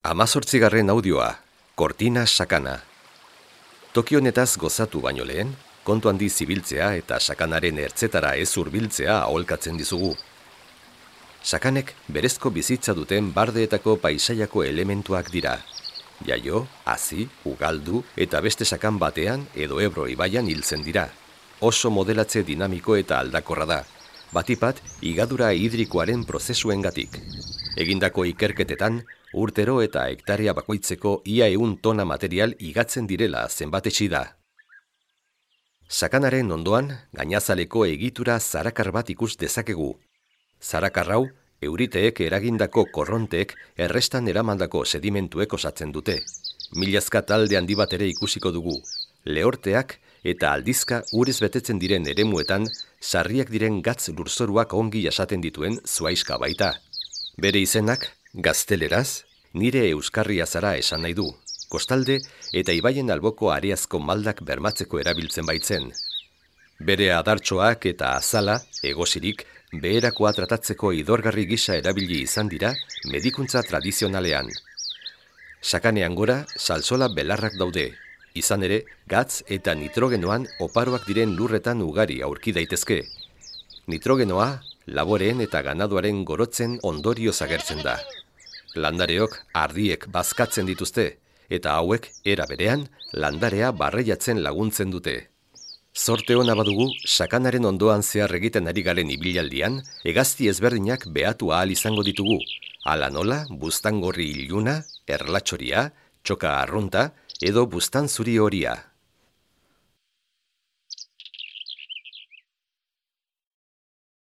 18. audioa, Kortina sakana. Toki honetaz gozatu baino lehen, kontu handi zibiltzea eta sakanaren ertzetara ez hurbiltzea aholkatzen dizugu. Sakanek berezko bizitza duten bardeetako paisaiako elementuak dira. Jaio, hazi, ugaldu eta beste sakan batean edo Ebro ibaian hiltzen dira. Oso modelatze dinamiko eta aldakorra da, batipat higadura hidrikoaren prozesuengatik. Egindako ikerketetan, urtero eta hektaria bakoitzeko ia 100 tona material igatzen direla zenbatetsi da. Sakanaren ondoan, gainazaleko egitura zarakar bat ikus dezakegu. Zarakar hau, euriteek eragindako korronteek errestan eramandako sedimentuek osatzen dute. Milazka talde handi bat ere ikusiko dugu. Lehorteak eta aldizka urez betetzen diren eremuetan, sarriak diren gatz lurzoruak ongi jasaten dituen zuaiska baita. Bere izenak, gazteleraz, nire euskarria zara esan nahi du. Kostalde eta ibaien alboko areazko maldak bermatzeko erabiltzen baitzen. Bere adartxoak eta azala, egosirik, beherakoa tratatzeko idorgarri gisa erabili izan dira medikuntza tradizionalean. Sakanean gora, salsola belarrak daude. Izan ere, gatz eta nitrogenoan oparoak diren lurretan ugari aurki daitezke. Nitrogenoa, laboreen eta ganaduaren gorotzen ondorioz agertzen da. Landareok ardiek bazkatzen dituzte, eta hauek era berean landarea barreiatzen laguntzen dute. Zorte ona badugu, sakanaren ondoan zehar egiten ari garen ibilaldian, hegazti ezberdinak behatu ahal izango ditugu. Hala nola, buztangorri iluna, erlatxoria, txoka arrunta edo buztan zuri horia.